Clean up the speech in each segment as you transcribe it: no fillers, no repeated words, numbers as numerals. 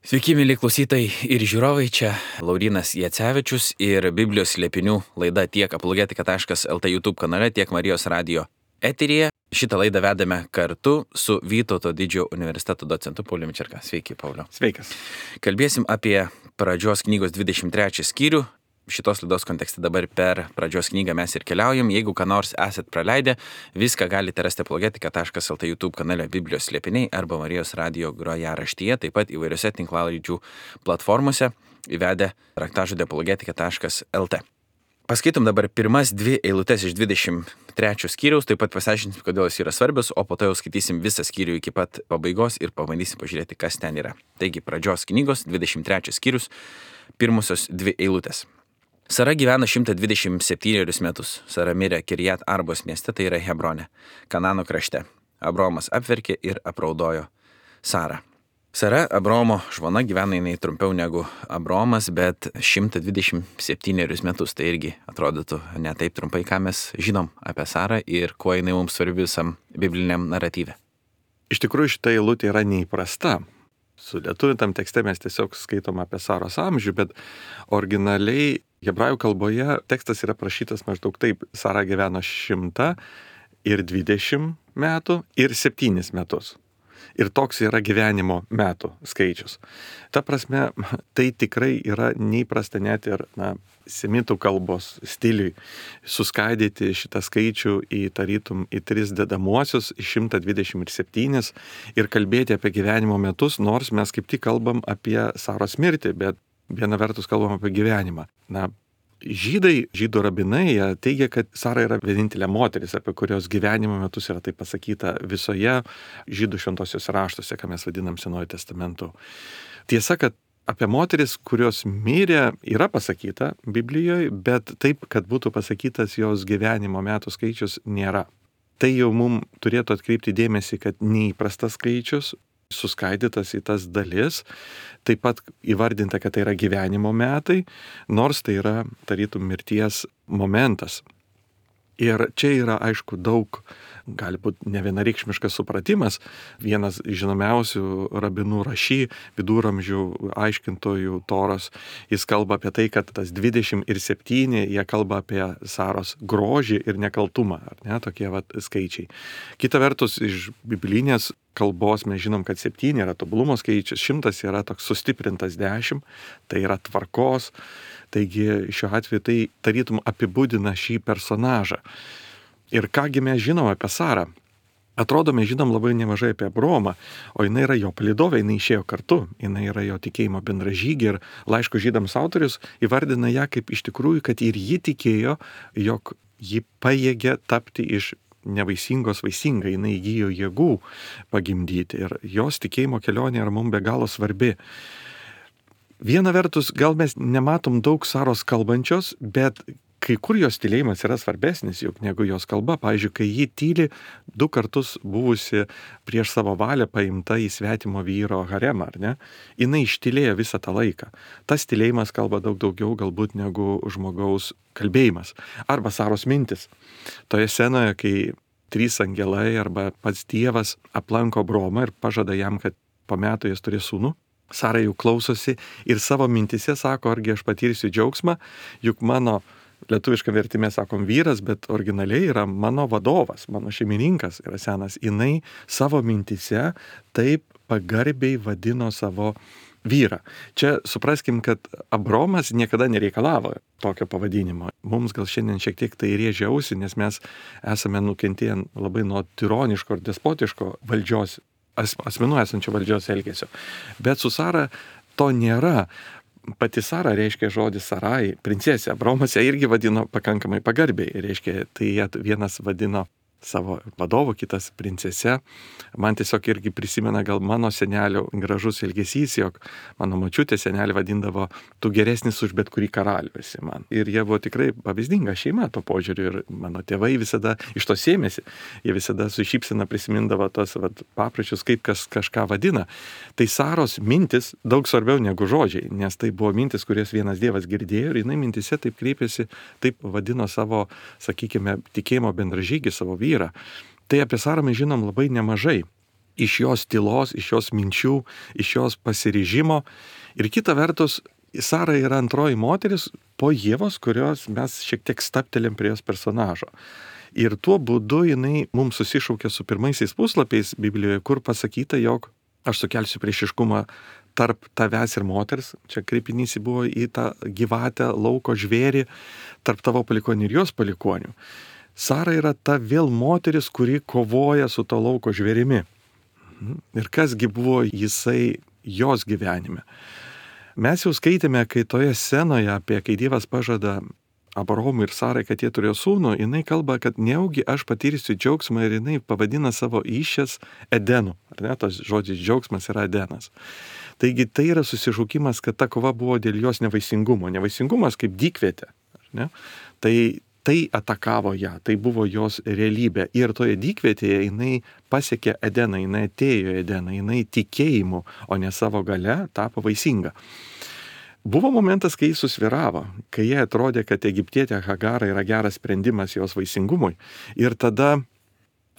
Sveiki, mėly klausytojai ir žiūrovai, čia Laurynas Jacevičius ir Biblijos slėpinių laida tiek apologetika.lt YouTube kanale, tiek Marijos radio eteryje. Šitą laidą vedame kartu su Vytauto Didžiojo universiteto docentu Pauliumi Čerka. Sveiki, Pauliau. Sveikas. Kalbėsim apie pradžios knygos 23 skyrių. Šitos laidos kontekste dabar per pradžios knygą mes ir keliaujam. Jeigu ką nors esat praleidę, viską galite rasti apologetika.lt YouTube kanale Biblijos slėpiniai arba Marijos radio grojaraštyje, taip pat įvairiose tinklalaidžių platformose įvedę raktažodį apologetika.lt. Paskaitom dabar pirmas dvi eilutes iš 23 skyriaus, taip pat pasiaiškinsim, kodėl jis yra svarbios, o po to jau skaitysim visą skyrių iki pat pabaigos ir pabandysim pažiūrėti, kas ten yra. Taigi, pradžios knygos 23 skyrius, pirmosios dvi eilutės. Sara gyveno 127 metus. Sara mirė Kirjat Arbos mieste, tai yra Hebrone, Kanano krašte. Abraomas apverkė ir apraudojo Sarą. Sara, Abraomo žmona, gyveno jinai trumpiau negu Abraomas, bet 127 metus. Tai irgi atrodytų ne taip trumpai, ką mes žinom apie Sarą ir kuo jinai mums svarbi visam bibliniam naratyve. Iš tikrųjų, šita eilutė yra neįprasta. Su lietuvintam tekste mes tiesiog skaitom apie Saros amžių, bet originaliai hebrajų kalboje tekstas yra prašytas maždaug taip. Sara gyveno 120 metų ir 7 metus. Ir toks yra gyvenimo metų skaičius. Ta prasme, tai tikrai yra neįprasta net ir semitų kalbos stiliui suskaidyti šitą skaičių į tarytum į 3 dedamuosius, 127 ir kalbėti apie gyvenimo metus, nors mes kaip tik kalbam apie Saros mirtį, bet viena vertus kalbam apie gyvenimą. Žydų rabinai teigia, kad Sara yra vienintelė moteris, apie kurios gyvenimo metus yra taip pasakyta visoje žydų šventosios raštuose, ką mes vadinam Senuoju testamentu. Tiesa, kad apie moteris, kurios mirė, yra pasakyta Biblijoje, bet taip, kad būtų pasakytas jos gyvenimo metų skaičius, nėra. Tai jau mums turėtų atkreipti dėmesį, kad neįprastas skaičius, suskaidytas į tas dalis, taip pat įvardinta, kad tai yra gyvenimo metai, nors tai yra tarytum mirties momentas. Ir čia yra, aišku, daug, gali būti nevienareikšmiškas supratimas. Vienas žinomiausių rabinų Raši, viduramžių aiškintojų Toros, jis kalba apie tai, kad tas 20 ir 7, jie kalba apie Saros grožį ir nekaltumą, ar ne, tokie skaičiai. Kita vertus, iš biblinės kalbos mes žinom, kad 7 yra tobulumo skaičius, 100 yra toks sustiprintas 10, tai yra tvarkos. Taigi šiuo atveju tai tarytum apibūdina šį personažą. Ir kągi mes žinom apie Sarą? Atrodo, mes žinom labai nemažai apie Abraomą, o jinai yra jo palydovė, jinai išėjo kartu, jinai yra jo tikėjimo bendražygė ir laiško žydams autorius įvardina ją kaip iš tikrųjų, kad ir ji tikėjo, jog ji pajėgė tapti iš nevaisingos vaisinga, jinai įgijo jėgų pagimdyti ir jos tikėjimo kelionė yra mums be galo svarbi. Viena vertus, gal mes nematom daug Saros kalbančios, bet kai kur jos tylėjimas yra svarbesnis juk negu jos kalba. Pavyzdžiui, kai ji tyli 2 kartus buvusi prieš savo valią paimta į svetimo vyro haremą, ar ne? Jinai ištylėjo visą tą laiką. Tas tylėjimas kalba daug daugiau galbūt negu žmogaus kalbėjimas. Arba Saros mintis. Toje scenoje, kai 3 angelai arba pats Dievas aplanko Abraomą ir pažada jam, kad po metų jis turės sūnų, Sara jau klausosi ir savo mintise sako, argi aš patirsiu džiaugsmą, juk mano lietuviška vertime sakom vyras, bet originaliai yra mano vadovas, mano šeimininkas yra senas. Jinai savo mintise taip pagarbiai vadino savo vyrą. Čia supraskim, kad Abraomas niekada nereikalavo tokio pavadinimo. Mums gal šiandien šiek tiek tai rėžia ausį, nes mes esame nukentėję labai nuo tironiško ir despotiško valdžios asmenų esančio valdžios elgesio. Bet su Sara to nėra. Pati Sara reiškia žodį Sarai, princesė. Abraomas ją irgi vadino pakankamai pagarbiai. Reiškia, tai vienas vadino savo vadovu, kitas princese. Man tiesiog irgi prisimena gal mano senelio gražus elgesys, jog mano močiutė senelį vadindavo, tu geresnis už bet kurį karalių esi man. Ir jie buvo tikrai pavyzdinga šeima to požiūriu ir mano tėvai visada iš to sėmėsi. Jie visada su šypsena prisimindavo tos papročius, kaip kažką vadina. Tai Saros mintis daug svarbiau negu žodžiai, nes tai buvo mintis, kurias vienas Dievas girdėjo ir jinai mintise taip kreipėsi, taip vadino savo, sakykime, tikėjimo bendražygį, savo vyrą. Tai apie Sarą mes žinom labai nemažai. iš jos tylos, iš jos minčių, iš jos pasiryžimo. Ir kita vertus, Sara yra antroji moteris po Ievos, kurios mes šiek tiek staptelėm prie jos personažo. Ir tuo būdu jinai mums susišaukia su pirmaisiais puslapiais Biblijoje, kur pasakyta, jog aš sukelsiu priešiškumą tarp tavęs ir moters, čia kreipinys buvo į tą gyvatę, lauko žvėrį, tarp tavo palikonių ir jos palikonių. Sara yra ta vėl moteris, kuri kovoja su to lauko žvėrimi. Ir kasgi buvo jisai jos gyvenime. Mes jau skaitėme, kai toje scenoje, kai Dievas pažada Abraomui ir Sarai, kad jie turėjo sūnų, jinai kalba, kad nejaugi aš patirsiu džiaugsmą ir jinai pavadina savo įščias Edenu. Ar ne, tas žodis džiaugsmas yra Edenas. Taigi tai yra susišaukimas, kad ta kova buvo dėl jos nevaisingumo. Nevaisingumas kaip dykvietė. Ar ne? Tai atakavo ją, tai buvo jos realybė. Ir toje dykvietėje jinai pasiekė Edeną, jinai atėjo į Edeną, jinai tikėjimu, o ne savo gale tapo vaisinga. Buvo momentas, kai jis susvyravo, kai jie atrodė, kad egiptietė Hagara yra geras sprendimas jos vaisingumui. Ir tada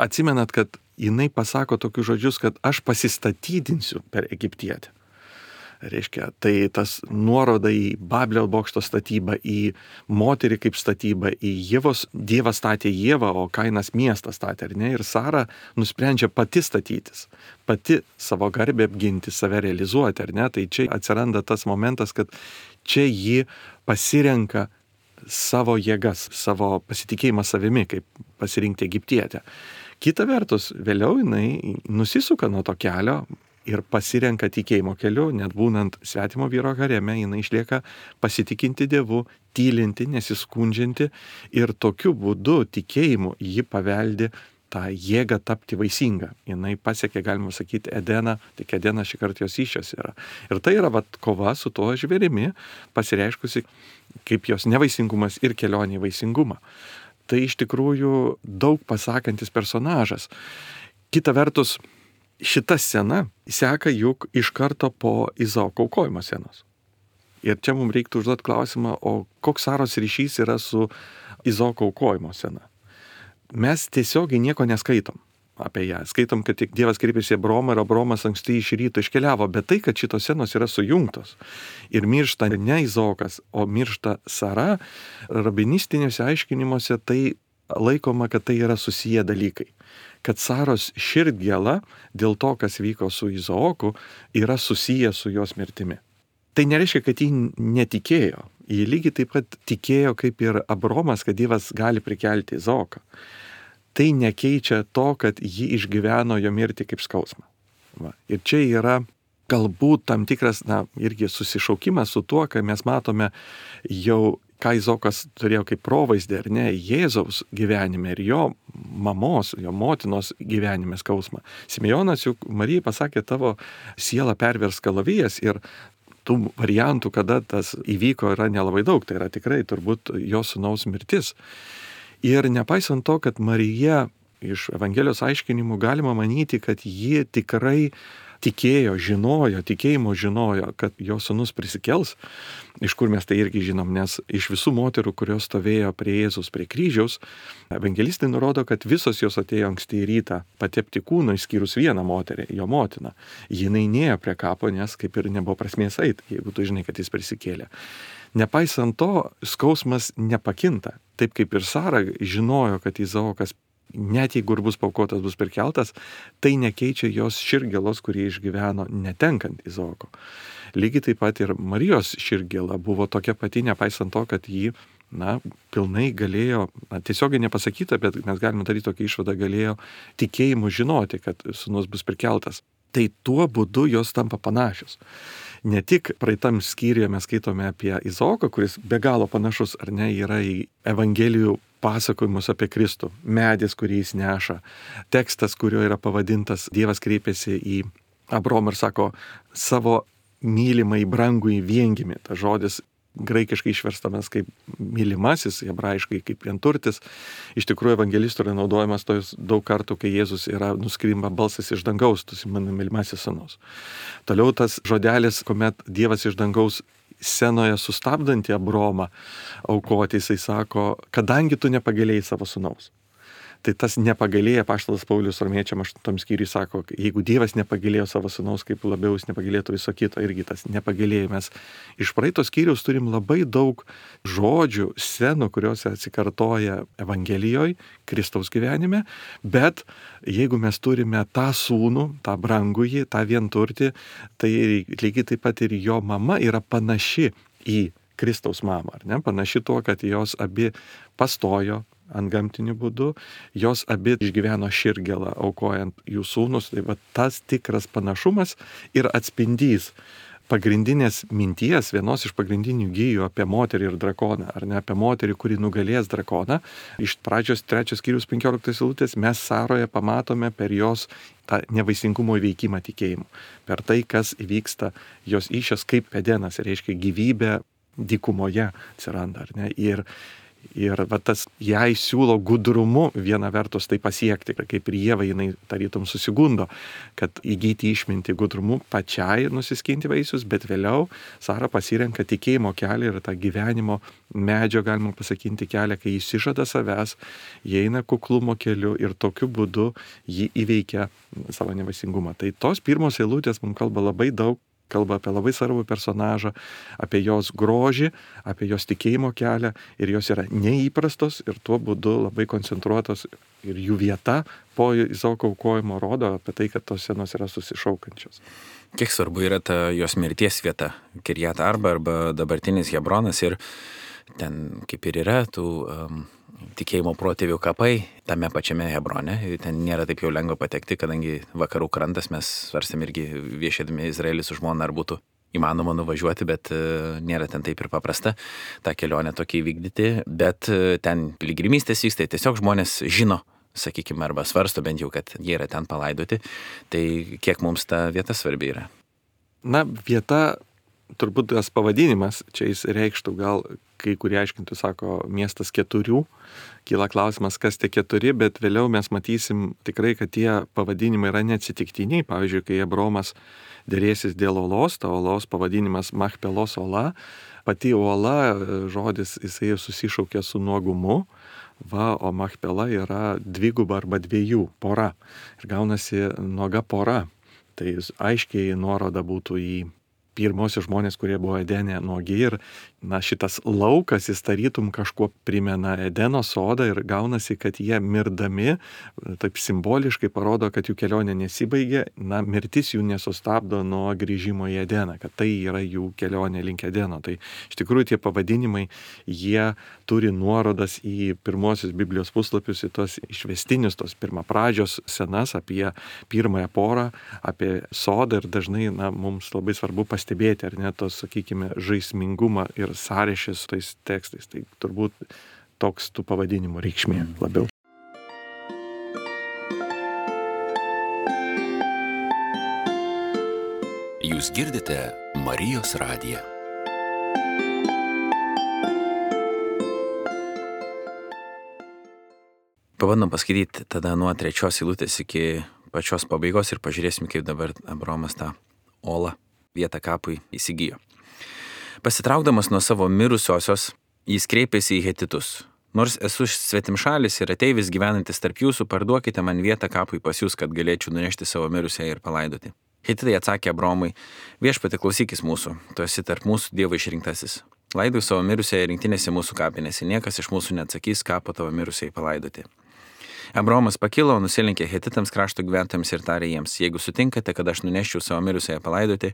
atsimenat, kad jinai pasako tokius žodžius, kad aš pasistatydinsiu per egiptietę. Reiškia, tai tas nuoroda į Babilio bokšto statybą, į moterį kaip statybą, į Dievas statė Ievą, o Kainas miestą statė, ar ne? Ir Sara nusprendžia pati statytis, pati savo garbę apginti, save realizuoti, ar ne? Tai čia atsiranda tas momentas, kad čia ji pasirenka savo jėgas, savo pasitikėjimą savimi, kaip pasirinkti egiptietę. Kita vertus, vėliau jinai nusisuka nuo to kelio, ir pasirenka tikėjimo keliu, net būnant svetimo vyro hareme, jinai išlieka pasitikinti Dievu, tylinti, nesiskundžianti ir tokiu būdu tikėjimu ji paveldi tą jėgą tapti vaisinga. Jinai pasiekė, galima sakyti, Edeną, tik Edenas šį kartą jos įščias yra. Ir tai yra kova su tuo žvėrimi, pasireiškusi kaip jos nevaisingumas ir kelionė į vaisingumą. Tai iš tikrųjų daug pasakantis personažas. Kita vertus, šita scena seka juk iš karto po Izaoko aukojimo scenos. Ir čia mums reiktų užduoti klausimą, o koks Saros ryšys yra su Izaoko aukojimo scena. Mes tiesiogiai nieko neskaitom apie ją. Skaitom, kad tik Dievas kreipėsi į Abraomą ir Abraomas anksti iš ryto iškeliavo, bet tai, kad šitos scenos yra sujungtos ir miršta ne Izaokas, o miršta Sara, rabinistinėse aiškinimuose tai laikoma, kad tai yra susiję dalykai. Kad Saros širdgėla dėl to, kas vyko su Izaoku, yra susiję su jos mirtimi. Tai nereiškia, kad ji netikėjo. Ji lygiai taip pat tikėjo kaip ir Abraomas, kad Dievas gali prikelti Izaoką. Tai nekeičia to, kad ji išgyveno jo mirtį kaip skausmą. Ir čia yra galbūt tam tikras, irgi susišaukimas su tuo, kai mes matome jau, ką Izaokas turėjo kaip provaizdį, ar ne, Jėzaus gyvenime ir jo mamos, jo motinos gyvenime skausmą. Simeonas juk Marijai pasakė, tavo siela pervers kalavijas ir tų variantų, kada tas įvyko, yra nelabai daug. Tai yra tikrai turbūt jo sūnaus mirtis. Ir nepaisant to, kad Marija iš Evangelijos aiškinimų galima manyti, kad ji tikrai tikėjo, tikėjimo žinojo, kad jo sūnus prisikels, iš kur mes tai irgi žinom, nes iš visų moterų, kurios stovėjo prie Jėzus, prie kryžiaus, evangelistai nurodo, kad visos jos atėjo anksti į rytą patepti kūno, išskyrus vieną moterį, jo motiną. Jinai nėjo prie kapo, nes kaip ir nebuvo prasmės eit, jeigu tu žinai, kad jis prisikėlė. Nepaisant to, skausmas nepakinta. Taip kaip ir Sara žinojo, kad Izaokas net jeigu ir bus paukotas, bus prikeltas, tai nekeičia jos širdgėlos, kurį išgyveno netenkant Izaoko. Lygiai taip pat ir Marijos širdgėla buvo tokia pati, nepaisant to, kad ji, pilnai galėjo, tiesiogiai nepasakyta, bet mes galime daryti tokią išvadą, galėjo tikėjimu žinoti, kad sūnus bus prikeltas. Tai tuo būdu jos tampa panašios. Ne tik praeitam skyriuje mes skaitome apie Izaoką, kuris be galo panašus, ar ne, yra į Evangelijų pasakojimus apie Kristų, medis, kurį jis neša, tekstas, kurio yra pavadintas, Dievas kreipėsi į Abraomą ir sako, savo mylimą į brangų į viengimį. Tas žodis graikiškai išverstamas kaip mylimasis, hebrajiškai kaip vienturtis. Iš tikrųjų, evangelistų yra naudojamas tojus daug kartų, kai Jėzus yra nuskrimba balsas iš dangaus, tu esi mano mylimasis sūnus. Toliau tas žodelis, kuomet Dievas iš dangaus scenoje sustabdantį Abraomą aukoti, jisai sako, kadangi tu nepagailėjai savo sūnaus. Tai tas nepagailėjo, apaštalas Paulius Romiečiam 8 skyriui sako, jeigu Dievas nepagailėjo savo sūnaus, kaip labiau jis nepagailėtų viso kito, irgi tas nepagailėjo. Mes iš praeito skyriaus turim labai daug žodžių, scenų, kuriuose atsikartoja Evangelijoje, Kristaus gyvenime, bet jeigu mes turime tą sūnų, tą brangųjį, tą vienturtį, tai lygiai taip pat ir jo mama yra panaši į Kristaus mamą, ar ne? Panaši tuo, kad jos abi pastojo ant gamtinių būdų, jos abi išgyveno širgelą, aukojant jų sūnus. Tai va tas tikras panašumas ir atspindys pagrindinės minties, vienos iš pagrindinių gijų apie moterį ir drakoną, ar ne apie moterį, kuri nugalės drakoną. Iš pradžios 3 skyrius 15 eilutės mes Saroje pamatome per jos tą nevaisingumo įveikimą tikėjimu. Per tai, kas įvyksta jos įsčias kaip Edenas, reiškia gyvybė dykumoje atsiranda, ar ne? Ir va tas jai siūlo gudrumu viena vertus tai pasiekti, kaip ir Ieva jinai tarytum susigundo, kad įgyti išmintį gudrumu pačiai nusiskinti vaisius, bet vėliau Sara pasirenka tikėjimo kelią ir tą gyvenimo medžio, galima pasakyti, kelią, kai jis išžada savęs, jie eina kuklumo keliu ir tokiu būdu jį įveikia savo nevaisingumą. Tai tos pirmos eilutės mums kalba labai daug, kalba apie labai svarbų personažą, apie jos grožį, apie jos tikėjimo kelią ir jos yra neįprastos ir tuo būdu labai koncentruotos ir jų vieta po Izaoko aukojimo rodo apie tai, kad tos scenos yra susišaukančios. Kiek svarbu yra ta jos mirties vieta, Kirjat Arba arba dabartinis Hebronas ir ten kaip ir yra tų tikėjimo protėvių kapai tame pačiame Hebrone. Ten nėra taip jau lengva patekti, kadangi vakarų krantas mes svarstėm irgi viešėdami Izraelį su žmona, ar būtų įmanoma nuvažiuoti, bet nėra ten taip ir paprasta tą kelionę tokį įvykdyti, bet ten piligrimystės vyksta, tiesiog žmonės žino, sakykime, arba svarsto bent jau, kad jie yra ten palaidoti. Tai kiek mums ta vieta svarbi yra? Na, vieta, turbūt tas pavadinimas, čia jis reikštų gal, kai kurie aiškintų, sako, miestas 4, kyla klausimas, kas tie 4, bet vėliau mes matysim tikrai, kad tie pavadinimai yra neatsitiktiniai. Pavyzdžiui, kai Abromas dėrėsis dėl olos, ta olos pavadinimas Machpelos ola, pati ola, žodis, jisai susišaukia su nuogumu, o Machpela yra dviguba arba 2 pora ir gaunasi nuoga pora. Tai aiškiai nuoroda būtų į pirmosius žmonės, kurie buvo Edene nuogi ir šitas laukas jis tarytum kažkuo primena Edeno sodą ir gaunasi, kad jie mirdami, taip simboliškai parodo, kad jų kelionė nesibaigė, mirtis jų nesustabdo nuo grįžimo į Edeną, kad tai yra jų kelionė link Edeno. Tai iš tikrųjų tie pavadinimai, jie turi nuorodas į pirmosius Biblijos puslapius, į tos išvestinius, tos pirmapradžios scenas apie pirmąją porą, apie sodą ir dažnai mums labai svarbu pastebėti, ar ne, tos, sakykime, žaismingumą ir sąryšį su tais tekstais. Tai turbūt toks tų pavadinimų reikšmė labiau. Jūs girdite Marijos radiją. Pabandom paskaityti tada nuo 3 eilutės iki pačios pabaigos ir pažiūrėsim, kaip dabar Abromas tą olą vietą kapui įsigijo. Pasitraukdamas nuo savo mirusiosios, jis kreipėsi į hetitus. Nors esu svetimšalis ir ateivis gyvenantis tarp jūsų, parduokite man vietą kapui pas jūs, kad galėčiau nunešti savo mirusiąją ir palaidoti. Hetitai atsakė Abromui, viešpatie klausykis mūsų, tu esi tarp mūsų Dievo išrinktasis. Laidau savo mirusiąją rinktinėse mūsų kapinėse, niekas iš mūsų neatsakys, ką po tavo mirusiai palaidoti. Abromas pakilo, nusilenkė hetitams krašto gyventojams ir tarė jiems, jeigu sutinkate, kad aš nuneščiau savo mirusiąją palaidoti,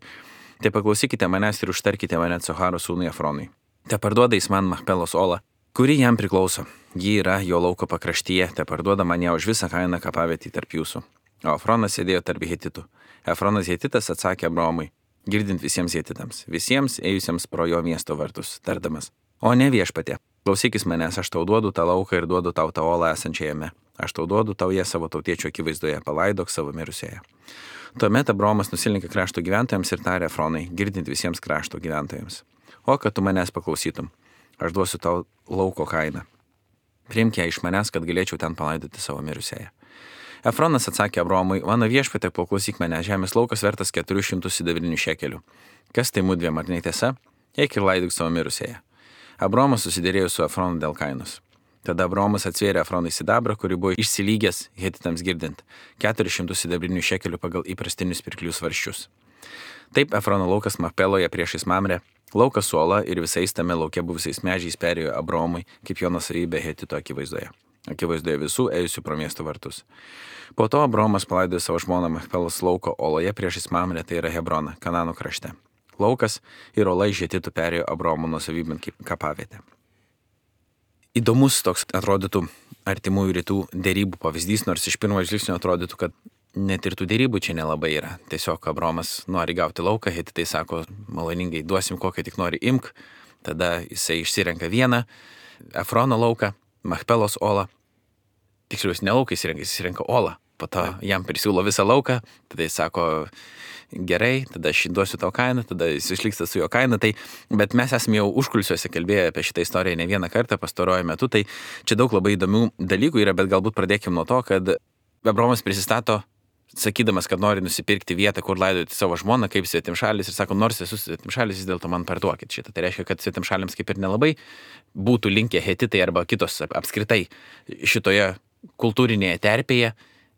tai paklausykite manęs ir užtarkite mane Coharo sūnui Efronui. Te parduoda jis man Machpelos olą, kuri jam priklauso. Ji yra jo lauko pakraštyje, te parduoda man ją už visą kainą kapavietį tarp jūsų. O Efronas sėdėjo tarp hetitų. Efronas hetitas atsakė Abromui, girdint visiems hetitams, visiems ėjusiems pro jo miesto vartus, tardamas. O ne viešpatie, klausykis manęs, aš tau duodu tą lauką ir duodu tau tą olą esančią jame. Aš tau duodu tau ją savo tautiečio akivaizdoje, palaidok savo mirusiąją. Tuomet Abromas nusilenkė krašto gyventojams ir tarė Efronai, girdint visiems krašto gyventojams. O kad tu manęs paklausytum, aš duosiu tau lauko kainą. Priimk ją iš manęs, kad galėčiau ten palaidoti savo mirusiąją. Efronas atsakė Abromui, mano viešpatie, paklausyk mane, žemės laukas vertas 409 šekelių. Kas tai mudviem, ar netiesa? Eik ir laidok savo mirusiąją. Abromas susidėrėjo su Efronu dėl kainos. Tada Abraomas atsvėrė Efronui sidabrą, kuri buvo išsilygęs hetitams girdint 400 sidabrinių šekelių pagal įprastinius pirklių svarščius. Taip Efrono laukas Machpeloje priešais Mamrę, laukas su ola ir visais tame lauke buvusiais medžiais perėjo Abraomui kaip jo nuosavybė hetito akivaizdoje visų ėjusių pro miesto vartus. Po to Abraomas palaidojo savo žmoną Machpelos lauko oloje priešais Mamrę, tai yra Hebroną, Kanano krašte. Laukas ir ola iš hetitų perėjo Abraomo nuosavybėn kaip kapavietė. Įdomus toks atrodytų artimųjų rytų dėrybų pavyzdys, nors iš pirmo žvilgsnio atrodytų, kad net ir tų dėrybų čia nelabai yra. Tiesiog Abraomas nori gauti lauką, hetitai sako, maloningai duosim kokią tik nori imk, tada jisai išsirenka vieną Efrono lauką, Machpelos olą, tiksliau jis ne lauką išsirenka olą, po to jam prisiūlo visą lauką, tada jis sako, gerai, tada aš duosiu tau kainą, tada jis išliksta su jo kaina, bet mes esame jau užkulisiuose kalbėję apie šitą istoriją ne vieną kartą pastaruoju metu, tai čia daug labai įdomių dalykų yra, bet galbūt pradėkime nuo to, kad Abraomas prisistato, sakydamas, kad nori nusipirkti vietą, kur laidoti savo žmoną kaip svetimšalis ir sako, nors esu svetimšalis, vis dėlto man parduokit šitą. Tai reiškia, kad svetimšaliams kaip ir nelabai būtų linkę hetitai arba kitos apskritai šitoje kultūrinėje terpėje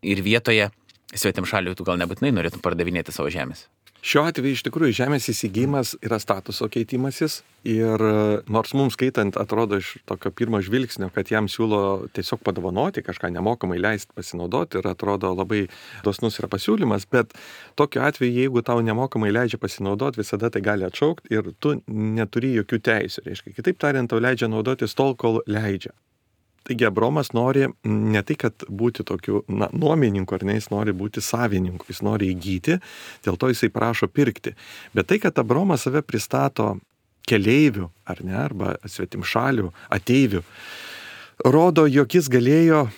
ir vietoje svetimšalių tu gal nebūtinai norėtum pardavinėti savo žemės. Šiuo atveju iš tikrųjų žemės įsigijimas yra statuso keitimasis ir nors mums skaitant atrodo iš tokio pirmo žvilgsnio, kad jam siūlo tiesiog padovanoti, kažką nemokamai leisti pasinaudoti ir atrodo labai dosnus yra pasiūlymas, bet tokiu atveju, jeigu tau nemokamai leidžia pasinaudoti, visada tai gali atšaukti ir tu neturi jokių teisių. Reiškia, kitaip tariant, tau leidžia naudotis tol, kol leidžia. Taigi Abraomas nori ne tai, kad būti tokiu nuomininku, ar ne, jis nori būti savininku, jis nori įgyti, dėl to jisai prašo pirkti. Bet tai, kad Abraomas save pristato keleivių, ar ne, arba svetimšalių, ateivių, rodo, jog jis galėjo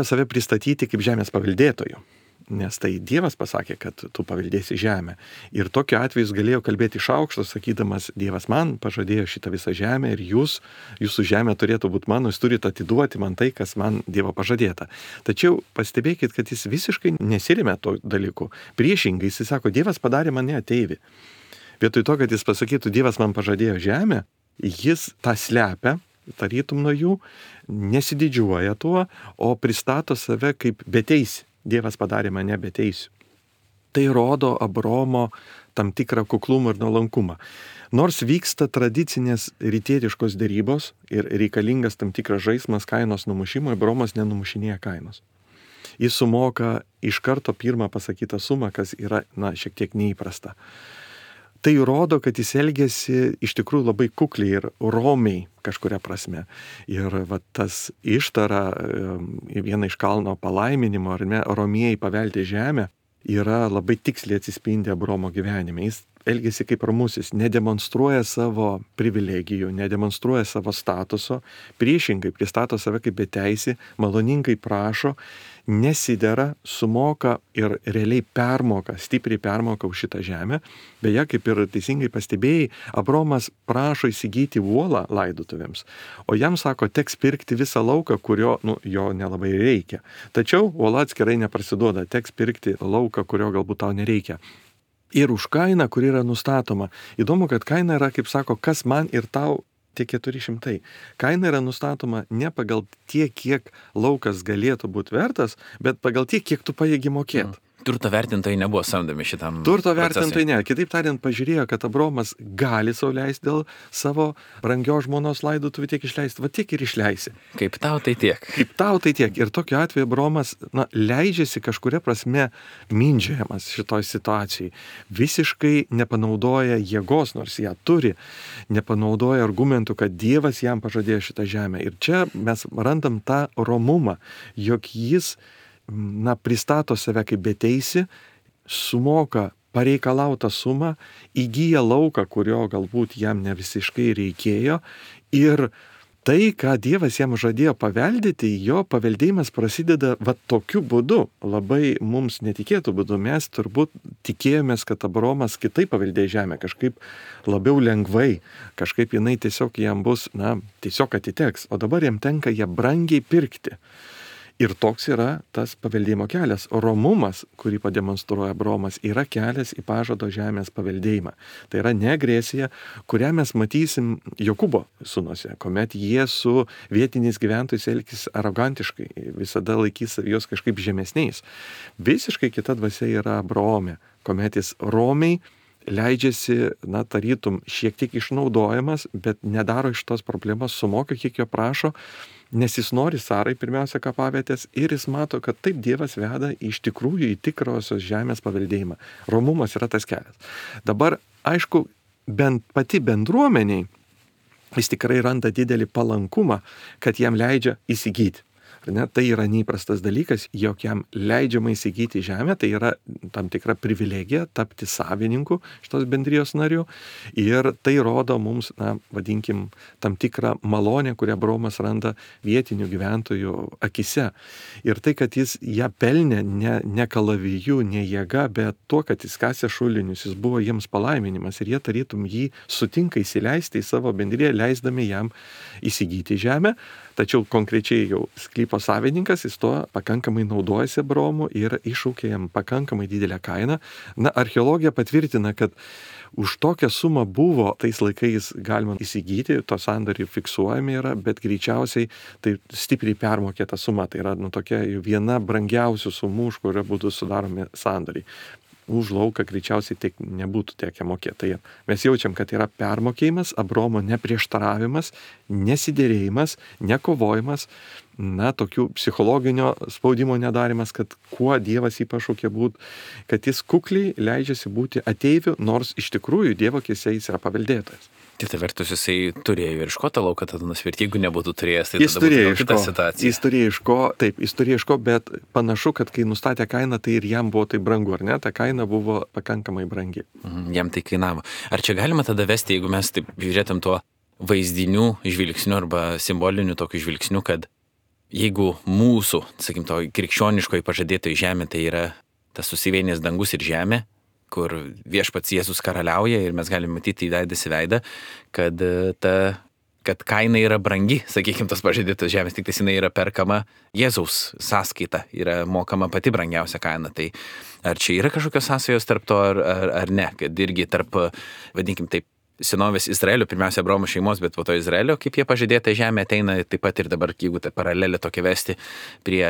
save pristatyti kaip žemės paveldėtojų. Nes tai Dievas pasakė, kad tu paveldėsi žemę. Ir tokiu atveju jis galėjo kalbėti iš aukšto, sakydamas, Dievas man pažadėjo šitą visą žemę ir jūsų žemė turėtų būti mano, jūs turite atiduoti man tai, kas man Dievo pažadėta. Tačiau pastebėkit, kad jis visiškai nesirėmė to dalyku. Priešingai, jis sako, Dievas padarė mane ateivį. Vietoj to, kad jis pasakytų, Dievas man pažadėjo žemę, jis tą slepia, tarytum nuo jų, nesididžiuoja tuo, o pristato save kaip beteisį. Dievas padarė mane beteisiu. Tai rodo Abraomo tam tikrą kuklumą ir nuolankumą. Nors vyksta tradicinės rytietiškos dėrybos ir reikalingas tam tikras žaismas kainos numušimo, Abraomas nenumušinėja kainos. Jis sumoka iš karto pirmą pasakytą sumą, kas yra, šiek tiek neįprasta. Tai rodo, kad jis elgėsi iš tikrųjų labai kukliai ir romiai kažkuria prasme. Ir tas ištara, viena iš kalno palaiminimo, ar ne, romieji paveldė žemę, yra labai tiksliai atsispindi Abraomo gyvenime. Jis elgėsi kaip ramusis, nedemonstruoja savo privilegijų, nedemonstruoja savo statuso, priešingai pristato save kaip beteisį, maloningai prašo, nesidera, sumoka ir realiai permoka, stipriai permoka už šitą žemę. Beje, kaip ir teisingai pastebėjai, Abraomas prašo įsigyti uolą laidotuvėms, o jam sako, teks pirkti visą lauką, kurio jo nelabai reikia. Tačiau uola atskirai neprasiduoda, teks pirkti lauką, kurio galbūt tau nereikia. Ir už kainą, kuri yra nustatoma. Įdomu, kad kaina yra, kaip sako, kas man ir tau tie 400. Kaina yra nustatoma ne pagal tiek, kiek laukas galėtų būti vertas, bet pagal tiek, kiek tu pajėgi mokėti. Turto vertintojai nebuvo samdomi šitam Turto vertintojai ne. Kitaip tariant, pažiūrėjo, kad Abraomas gali sau leisti dėl savo brangios žmonos laidotuvių tiek išleisti. Va tiek ir išleisi. Kaip tau tai tiek. Kaip tau tai tiek. Ir tokiu atveju Abraomas leidžiasi kažkuria prasme mindžiojamas šitoj situacijai. Visiškai nepanaudoja jėgos, nors ją turi. Nepanaudoja argumentų, kad Dievas jam pažadėjo šitą žemę. Ir čia mes randam tą romumą, jog jis pristato save kaip beteisi, sumoka pareikalautą sumą, įgyja lauką, kurio galbūt jam ne visiškai reikėjo ir tai, ką Dievas jam žadėjo paveldėti, jo paveldėjimas prasideda tokiu būdu, labai mums netikėtų būdu. Mes turbūt tikėjomės, kad Abraomas kitaip paveldėjo žemę, kažkaip labiau lengvai, kažkaip jinai tiesiog jam bus, tiesiog atiteks, o dabar jam tenka ją brangiai pirkti. Ir toks yra tas paveldėjimo kelias. Romumas, kurį pademonstruoja Abromas, yra kelias į pažado žemės paveldėjimą. Tai yra ne agresija, kurią mes matysim Jokūbo sūnuose, kuomet jie su vietiniais gyventojais elgsis arogantiškai, visada laikys juos kažkaip žemesniais. Visiškai kita dvasia yra Abrome, kuomet jis romiai leidžiasi, tarytum, šiek tiek išnaudojamas, bet nedaro iš tos problemos, sumoka, kiek jo prašo, nes jis nori Sarai pirmiausia kapavietės ir jis mato, kad taip Dievas veda iš tikrųjų į tikrosios žemės paveldėjimą. Romumas yra tas kelias. Dabar, aišku, bent pati bendruomeniai, jis tikrai randa didelį palankumą, kad jam leidžia įsigyti. Tai yra neįprastas dalykas, jog jam leidžiama įsigyti žemę, tai yra tam tikra privilegija tapti savininku šitos bendrijos narių ir tai rodo mums, vadinkim, tam tikrą malonę, kurią Abromas randa vietinių gyventojų akise. Ir tai, kad jis ją pelnė ne kalaviju, ne jėga, bet tuo, kad jis kasė šulinius, jis buvo jiems palaiminimas ir jie tarytum jį sutinka įsileisti į savo bendriją, leisdami jam įsigyti žemę. Tačiau konkrečiai jau sklypo savininkas, jis tuo pakankamai naudojasi Abromu ir iššaukė jam pakankamai didelę kainą. Archeologija patvirtina, kad už tokią sumą buvo tais laikais galima įsigyti, to sandoriai fiksuojami yra, bet greičiausiai tai stipriai permokėta suma. Tai yra tokia viena brangiausių sumų, už kurio būtų sudaromi sandoriai. Už lauką greičiausiai tiek nebūtų tekę mokėti. Tai mes jaučiam, kad yra permokėjimas, Abromo neprieštaravimas, nesidėrėjimas, nekovojimas, tokių psichologinio spaudimo nedarimas, kad kuo Dievas jį pašaukė būti, kad jis kukliai leidžiasi būti ateiviu, nors iš tikrųjų Dievo akyse jis yra paveldėtojas. Kita vertus, jisai turėjo ir iš ko tą lauką tada nusipirkti, jeigu nebūtų turėjęs, tai tada būtų kita situacija. Jis turėjo iš ko, bet panašu, kad kai nustatė kainą, tai ir jam buvo tai brangu, ar ne? Ta kaina buvo pakankamai brangi. Jam tai kainavo. Ar čia galima tada vesti, jeigu mes taip žiūrėtum tuo vaizdinių žvilgsniu arba simboliniu tokiu žvilgsniu, kad jeigu mūsų, sakim, to krikščioniškoji pažadėtoji žemė, tai yra tas susivienijęs dangus ir žemė, kur viešpats Jėzus karaliauja ir mes galime matyti įveidas į veidą, kad kaina yra brangi, sakykime, tos pažadėtos žemės, tik jinai yra perkama Jėzaus sąskaita, yra mokama pati brangiausia kaina. Tai ar čia yra kažkokios sąsajos tarp to ar ne, kad irgi tarp, vadinkim taip, senovės Izraelio, pirmiausia Abromo šeimos, bet po to Izraelio, kaip jie pažadėta žemė ateina, taip pat ir dabar, jeigu tą paralelę tokia vesti prie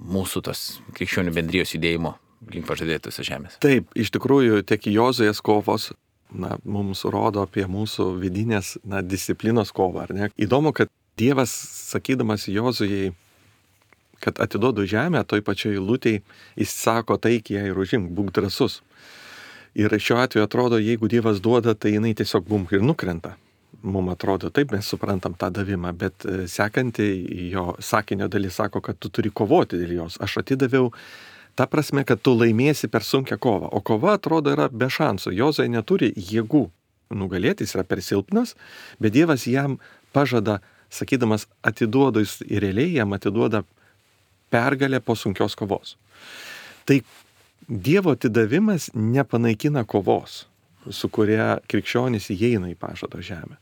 mūsų tos krikščionių bendrijos judėjimo link pažadėtosios žemės. Taip, iš tikrųjų, tiek Jozuės kovos mums rodo apie mūsų vidinės disciplinos kovą, ar ne? Įdomu, kad Dievas, sakydamas Jozujai, kad atiduodu žemę, toj pačioj eilutėj, jis sako taikiai ir užimk, būk drąsus. Ir šiuo atveju atrodo, jeigu Dievas duoda, tai jinai tiesiog bumk ir nukrenta. Mums atrodo, taip mes suprantam tą davimą, bet sekanti jo sakinio dalis sako, kad tu turi kovoti dėl jos. Aš atidaviau ta prasme, kad tu laimėsi per sunkią kovą. O kova, atrodo, yra be šansų. Jozai neturi jėgų nugalėti, jis yra per silpnas, bet Dievas jam pažada, sakydamas, atiduoda, jis realiai jam atiduoda pergalę po sunkios kovos. Tai Dievo atidavimas nepanaikina kovos, su kuria krikščionys įeina į pažado žemę.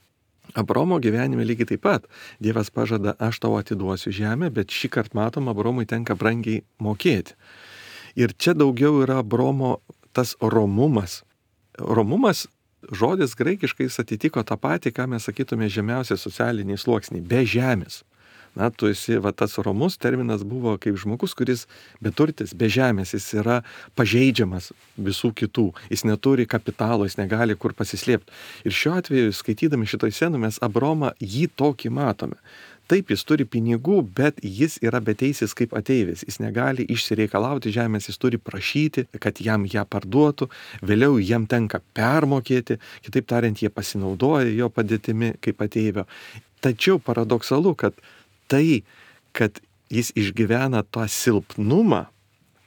Abromo gyvenime lygiai taip pat. Dievas pažada, aš tau atiduosiu žemę, bet šį kartą matom, Abromui tenka brangiai mokėti. Ir čia daugiau yra Abromo tas romumas. Romumas žodis graikiškai atitiko tą patį, ką mes sakytume žemiausią socialinį sluoksnį, be žemės. Tu esi, tas romus terminas buvo kaip žmogus, kuris beturtis, be žemės, jis yra pažeidžiamas visų kitų, jis neturi kapitalo, jis negali kur pasislėpti. Ir šiuo atveju, skaitydami šitoj scenų, mes Abromą jį tokį matome. Taip, jis turi pinigų, bet jis yra beteisis kaip ateivis. Jis negali išsireikalauti žemės, jis turi prašyti, kad jam ją parduotų, vėliau jam tenka permokėti, kitaip tariant, jie pasinaudoja jo padėtimi kaip ateivio. Tačiau paradoksalu, kad tai, kad jis išgyvena tą silpnumą,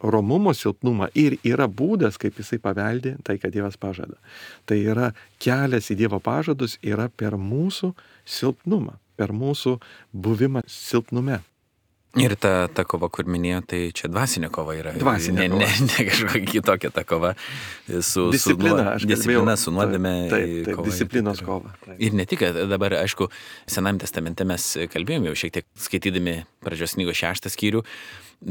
romumo silpnumą ir yra būdas, kaip jisai paveldė tai, kad Dievas pažada. Tai yra kelias į Dievo pažadus yra per mūsų silpnumą, per mūsų buvimą silpnume. Ir ta kova, kur minėjo, tai čia dvasinė kova yra. Dvasinė kova. Ne kažkokia kitokia ta kova. Disciplina, disciplina su nuodėme. Taip, disciplinos kova. Taip. Ir ne tik, dabar, aišku, Senajame testamente mes kalbėjome jau šiek tiek skaitydami Pradžios knygos 6 skyrių,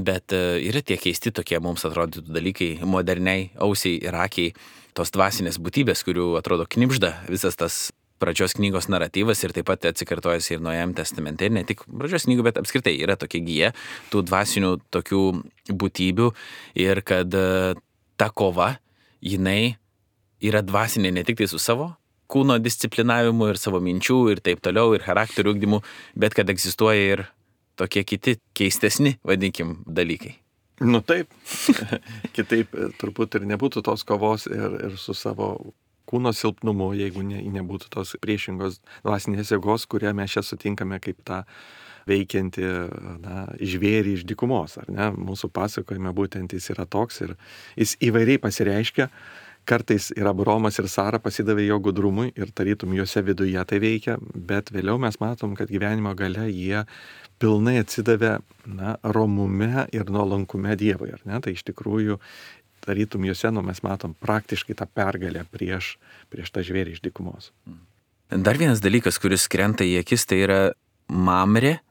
bet yra tie keisti tokie mums atrodytų dalykai, moderniai ausiai ir akiai, tos dvasinės būtybės, kurių atrodo knibžda visas tas Pradžios knygos naratyvas ir taip pat atsikartojasi ir Naujajame testamente, ir ne tik Pradžios knygų, bet apskritai yra tokia gija tų dvasinių tokių būtybių ir kad ta kova, jinai yra dvasinė ne tik tai su savo kūno disciplinavimu ir savo minčių ir taip toliau ir charakterių ugdymu, bet kad egzistuoja ir tokie kiti keistesni, vadinkim, dalykai. Nu taip, kitaip turbūt ir nebūtų tos kovos ir su savo kūno silpnumu, jeigu nebūtų tos priešingos dvasinės jėgos, kurią mes čia sutinkame kaip tą veikianti žvėrį iš dykumos. Ar ne? Mūsų pasakojime būtent jis yra toks ir jis įvairiai pasireiškia. Kartais ir Abraomas ir Sara pasidavė jo gudrumui ir tarytum juose viduje tai veikia, bet vėliau mes matom, kad gyvenimo gale jie pilnai atsidavė romume ir nuolankume Dievui. Ar ne? Tai iš tikrųjų tarytum juose mes matom praktiškai tą pergalę prieš tą žvėrį iš dykumos. Dar vienas dalykas, kuris krenta į akis, tai yra Mamrė,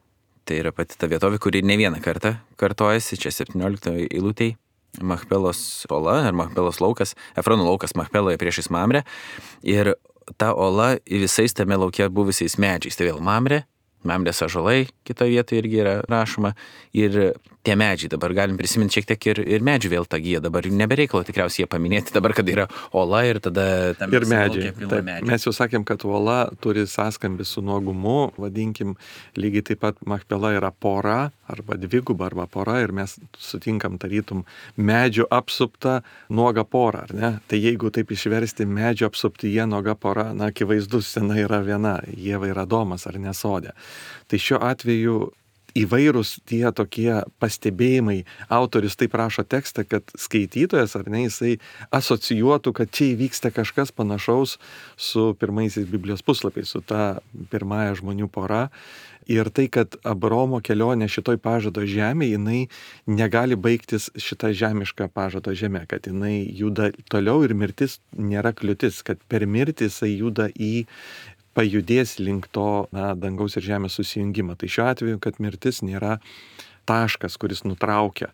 tai yra pati ta vietovė, kuri ne vieną kartą kartojasi, čia 17 eilutėj, Machpelos ola ar Machpelos laukas, Efrono laukas Machpeloje priešais Mamrę, ir ta ola visais tame lauke buvusiais medžiais, tai vėl Mamrės ąžuolai, kitoje vietoje irgi yra rašoma, ir tie medžiai, dabar galim prisiminti šiek tiek ir medžių vėl tą giją, dabar nebereikalo tikriausiai jie paminėti, dabar, kad yra ola ir tada tam ir medžiai. Taip, mes jau sakėm, kad ola turi sąskambį su nuogumu, vadinkim, lygiai taip pat Machpela yra pora, arba dviguba, arba pora, ir mes sutinkam tarytum medžių apsuptą nuogą porą, ar ne? Tai jeigu taip išversti medžių apsuptyje nuoga pora, akivaizdus scena yra viena, Ieva ir Adomas, ar ne sode. Tai šiuo atveju įvairūs tie tokie pastebėjimai, autorius taip rašo tekstą, kad skaitytojas, ar ne, jisai asocijuotų, kad čia įvyksta kažkas panašaus su pirmaisiais Biblijos puslapiais, su ta pirmąja žmonių pora. Ir tai, kad Abraomo kelionė šitoj pažado žemė, jinai negali baigtis šitą žemišką pažado žemę, kad jinai juda toliau ir mirtis nėra kliūtis, kad per mirtį jisai juda pajudės link to dangaus ir žemės susijungimą. Tai šiuo atveju, kad mirtis nėra taškas, kuris nutraukia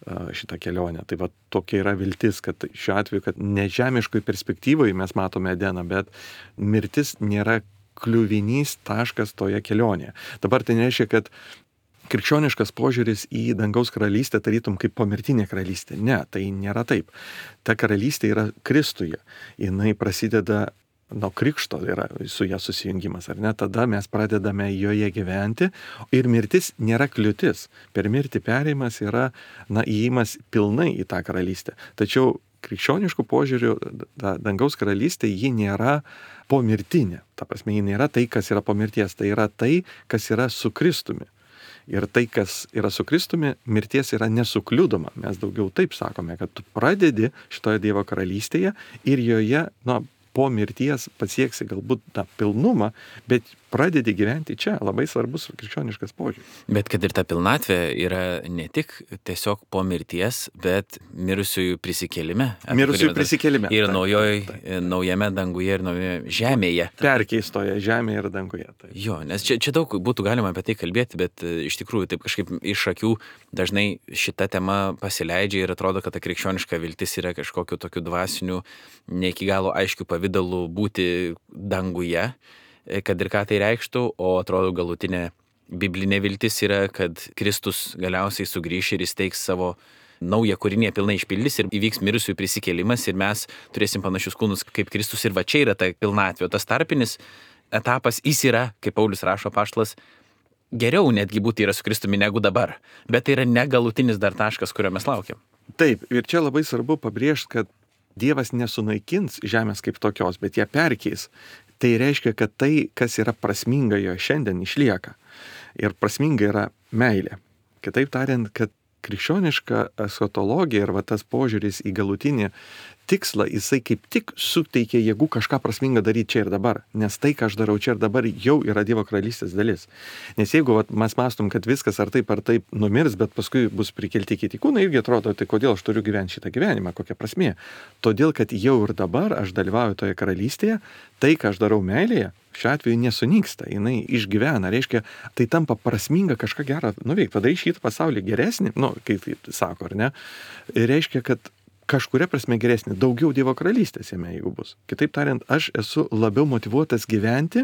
šitą kelionę. Tai va tokia yra viltis, kad šiuo atveju, kad ne žemiškoj perspektyvoje mes matome Edeną, bet mirtis nėra kliuvinys taškas toje kelionėje. Dabar tai nereiškia, kad krikščioniškas požiūris į dangaus karalystę tarytum kaip pomirtinė karalystė. Ne, tai nėra taip. Ta karalystė yra Kristuje. Jinai prasideda nuo krikšto, yra su ją susijungimas, ar ne? Tada mes pradedame joje gyventi ir mirtis nėra kliūtis. Per mirtį perėjimas yra, įėjimas pilnai į tą karalystę. Tačiau krikščioniškų požiūrių dangaus karalystė, ji nėra pomirtinė. Ta prasme, ji nėra tai, kas yra po mirties, tai yra tai, kas yra su Kristumi. Ir tai, kas yra su Kristumi, mirties yra nesukliudoma. Mes daugiau taip sakome, kad tu pradedi šitoje Dievo karalystėje ir joje, po mirties pasieksi galbūt tą pilnumą, bet pradedi gyventi čia. Labai svarbus krikščioniškas požiūris. Bet kad ir ta pilnatvė yra ne tik tiesiog po mirties, bet mirusiųjų prisikėlime. Mirusiųjų prisikėlime. Ir naujame danguje ir naujoje žemėje. Perkeistoje žemėje ir danguje. Taip. Jo, nes čia daug būtų galima apie tai kalbėti, bet iš tikrųjų taip kažkaip iš akių dažnai šita tema pasileidžia ir atrodo, kad ta krikščioniška viltis yra kažkokiu tokiu dvasiniu, ne iki galo aiškiu pavidalu būti danguje, kad ir ką tai reikštų, o atrodo galutinė biblinė viltis yra, kad Kristus galiausiai sugrįš ir įsteigs savo naują kūrinį, pilnai išpildys ir įvyks mirusiųjų prisikėlimas ir mes turėsim panašius kūnus kaip Kristus ir va čia yra ta pilnatvė. Tas tarpinis etapas jis yra, kaip Paulius rašo apaštalas, geriau netgi būti yra su Kristumi negu dabar, bet tai yra negalutinis dar taškas, kurio mes laukiam. Taip, ir čia labai svarbu pabrėžti, kad Dievas nesunaikins žemės kaip tokios, bet ją perkeis. Tai reiškia, kad tai, kas yra prasminga jo šiandien, išlieka. Ir prasminga yra meilė. Kitaip tariant, kad krikščioniška eschatologija ir tas požiūris į galutinį tikslą, jisai kaip tik suteikia jėgų kažką prasmingą daryti čia ir dabar. Nes tai, ką aš darau čia ir dabar, jau yra Dievo karalystės dalis. Nes jeigu mes mąstom, kad viskas ar taip numirs, bet paskui bus prikelti kiti kūnai, irgi atrodo, tai kodėl aš turiu gyventi šitą gyvenimą, kokia prasmė. Todėl, kad jau ir dabar aš dalyvauju toje karalystėje, tai, ką aš darau meilėje, šiuo atveju nesunyksta, jinai išgyvena, reiškia, tai tampa prasminga kažką gerą nuveikti, padaryti šitą pasaulį geresnį, kaip sako, ar ne, reiškia, kad kažkuria prasme geresnį, daugiau Dievo karalystės jame, jeigu bus. Kitaip tariant, aš esu labiau motyvuotas gyventi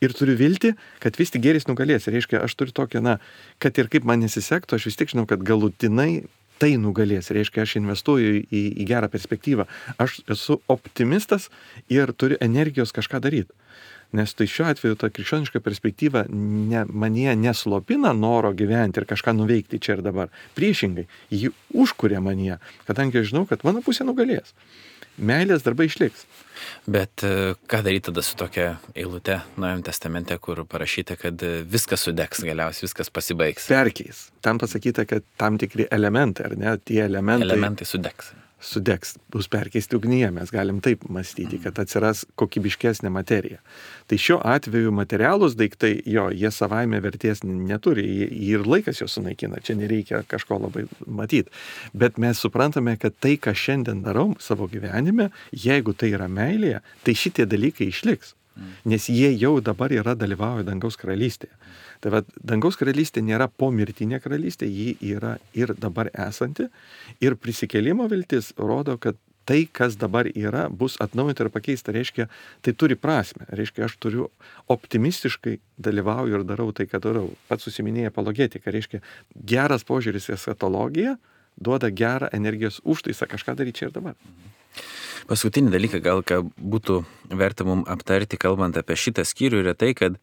ir turiu viltį, kad vis tik gėris nugalės. Reiškia, aš turiu tokią, kad ir kaip man nesisektų, aš vis tik žinau, kad galutinai tai nugalės. Reiškia, aš investuoju į gerą perspektyvą. Aš esu optimistas ir turiu energijos kažką daryti. Nes tai šiuo atveju ta krikščioniška perspektyva manyje neslopina noro gyventi ir kažką nuveikti čia ir dabar. Priešingai, ji užkuria manyje, kadangi aš žinau, kad mano pusė nugalės. Meilės darbai išliks. Bet ką daryti tada su tokia eilute Naujajame testamente, kur parašyta, kad viskas sudegs, galiausiai viskas pasibaigs? Perkeis. Tam pasakyta, kad tam tikri elementai, ar ne, tie elementai sudegs, bus perkeisti ugnyje, mes galim taip mąstyti, kad atsiras kokybiškesnė materija. Tai šiuo atveju materialūs daiktai, jie savaime vertės neturi, ir laikas juos sunaikina, čia nereikia kažko labai matyti. Bet mes suprantame, kad tai, ką šiandien darau savo gyvenime, jeigu tai yra meilėje, tai šitie dalykai išliks, nes jie jau dabar dalyvauja dangaus karalystėje. Tai va, dangaus karalystė nėra pomirtinė karalystė, ji yra ir dabar esanti, ir prisikėlimo viltis rodo, kad tai, kas dabar yra, bus atnaujinta ir pakeista, reiškia, tai turi prasme, reiškia, aš turiu optimistiškai dalyvauju ir darau tai, ką darau. Pats susiminėjai apologetiką, reiškia, geras požiūris į eschatologiją duoda gerą energijos užtaisą kažką daryti čia ir dabar. Paskutinį dalyką gal ką būtų verta mums aptarti, kalbant apie šitą skyrių, yra tai, kad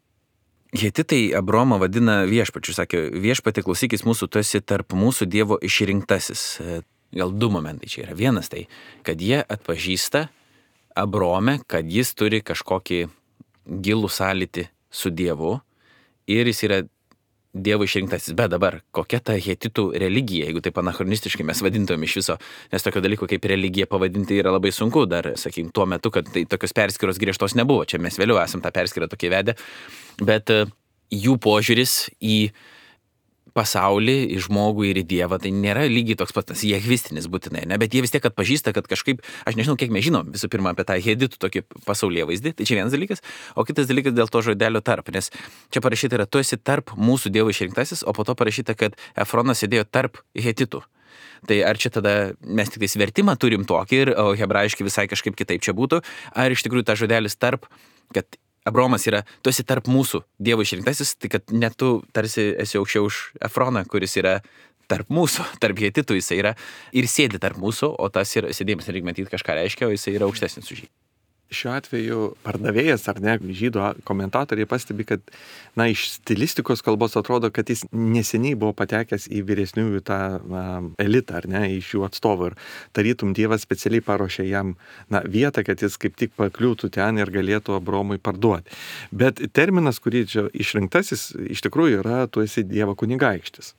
hetitai Abromą vadina viešpačiu. Sakė, viešpatė, klausykis mūsų, tu esi tarp mūsų Dievo išrinktasis. Gal du momentai čia yra. Vienas tai, kad jie atpažįsta Abromę, kad jis turi kažkokį gilų sąlytį su Dievu ir jis yra Dievo išrinktasis. Bet dabar, kokia ta hetitų religija, jeigu taip anachronistiškai mes vadintumėm iš viso, nes tokio dalyko kaip religija pavadinti yra labai sunku, dar, sakykim, tuo metu, kad tai tokios perskyros griežtos nebuvo. Čia mes vėliau esam tą perskyrą tokį vedę, bet jų požiūris į pasaulį, į žmogų ir į Dievą, tai nėra lygiai toks pat, tas jehvistinis būtinai, ne? Bet jie vis tiek atpažįsta, kad kažkaip, aš nežinau, kiek mes žinom visų pirma apie tą heditų tokį pasaulyje vaizdį, tai čia vienas dalykas, o kitas dalykas dėl to žodelio tarp, nes čia parašyta yra, tu esi tarp mūsų Dievo išrinktasis, o po to parašyta, kad Efronas sėdėjo tarp hetitų. Tai ar čia tada mes tik tais vertimą turim tokį, o hebrajiškai visai kažkaip kitaip čia būtų, ar iš tikrųjų ta žodelis tarp, kad Abromas yra, tu esi tarp mūsų Dievo išrinktasis, tai kad net tu tarsi esi aukščiau už Efroną, kuris yra tarp mūsų, tarp hetitų jisai yra ir sėdi tarp mūsų, o tas yra, sėdėjimas reikia matyti kažką reiškia, o jisai yra aukštesnis už jį. Šiuo atveju pardavėjas ar ne, žydų komentatoriai pastebi, kad iš stilistikos kalbos atrodo, kad jis neseniai buvo patekęs į vyresniųjų tą elitą, ar ne, iš jų atstovų. Ir tarytum Dievas specialiai paruošė jam vietą, kad jis kaip tik pakliūtų ten ir galėtų Abromui parduoti. Bet terminas, kurį čia išrinktasis, iš tikrųjų yra, tu esi Dievo kunigaikštis.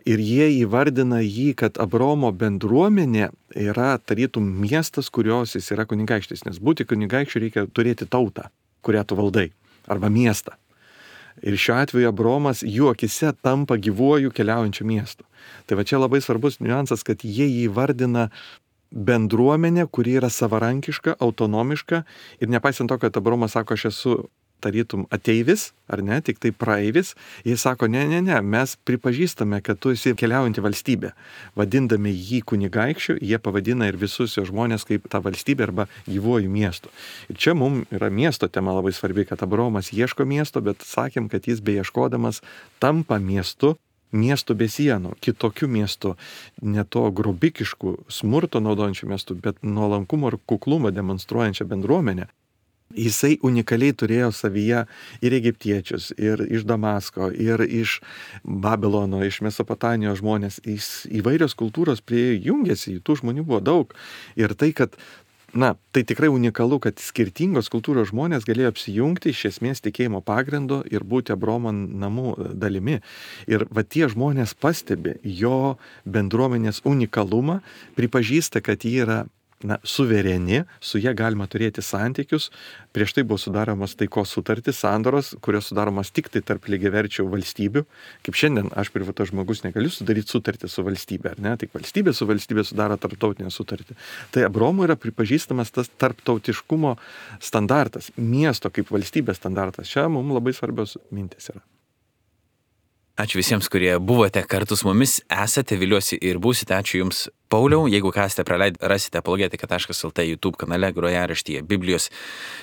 Ir jie įvardina jį, kad Abromo bendruomenė yra tarytum miestas, kurios jis yra kunigaikštis, nes būti kunigaikščiu reikia turėti tautą, kurią tu valdai, arba miestą. Ir šiuo atveju Abromas jų akise tampa gyvuoju keliaujančiu miestu. Tai va čia labai svarbus niuansas, kad jie įvardina bendruomenę, kuri yra savarankiška, autonomiška ir nepaisant to, kad Abromas sako, aš esu tarytum ateivis, ar ne, tik tai praeivis, jis sako, ne, mes pripažįstame, kad tu esi keliaujanti valstybė. Vadindami jį kunigaikščiu, jie pavadina ir visus jo žmonės kaip tą valstybę arba gyvuoju miestu. Ir čia mums yra miesto tema labai svarbi, kad Abromas ieško miesto, bet sakėm, kad jis beieškodamas tampa miestu be sienų, kitokių miestų, ne to grobikiškų, smurto naudojančių miestų, bet nuolankumo ir kuklumą demonstruojančią bendruomenę. Jisai unikaliai turėjo savyje ir egiptiečius, ir iš Damasko, ir iš Babilono, iš Mesopotamijos žmonės. Įvairios kultūros prie jungiasi, tų žmonių buvo daug. Ir tai, kad, tai tikrai unikalu, kad skirtingos kultūros žmonės galėjo apsijungti iš esmės tikėjimo pagrindo ir būti Abromo namų dalimi. Ir tie žmonės pastebi jo bendruomenės unikalumą, pripažįsta, kad jie yra suvereni, su ja galima turėti santykius. Prieš tai buvo sudaromas taikos sutartys, sandoros, kurios sudaromas tik tai tarp lygiaverčių valstybių. Kaip šiandien aš privatus žmogus negaliu sudaryti sutartį su valstybė, ar ne? Tik valstybė su valstybė sudaro tarptautinę sutartį. Tai Abraomui yra pripažįstamas tas tarptautiškumo standartas, miesto kaip valstybės standartas. Čia mums labai svarbios mintis yra. Ačiū visiems, kurie buvote kartu su mumis, esate, viliuosi ir būsite. Ačiū Jums, Pauliau. Jeigu kasite praleidę, rasite apologetika.lt YouTube kanale grojaraštyje Biblijos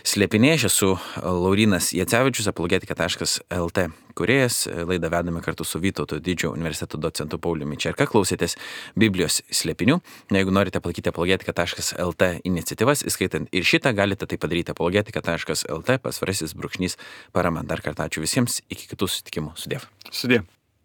slėpiniai. Aš esu Laurynas Jacevičius, apologetika.lt kūrėjas. Laidą vedame kartu su Vytauto Didžiojo universiteto docentu Pauliumi Čerka. Klausėtės Biblijos slėpinių. Jeigu norite palaikyti apologetika.lt iniciatyvas, įskaitant ir šitą, galite tai padaryti apologetika.lt /parama. Dar kartą ačiū visiems. Iki kitų susitikimų. Sudiev. Sudiev.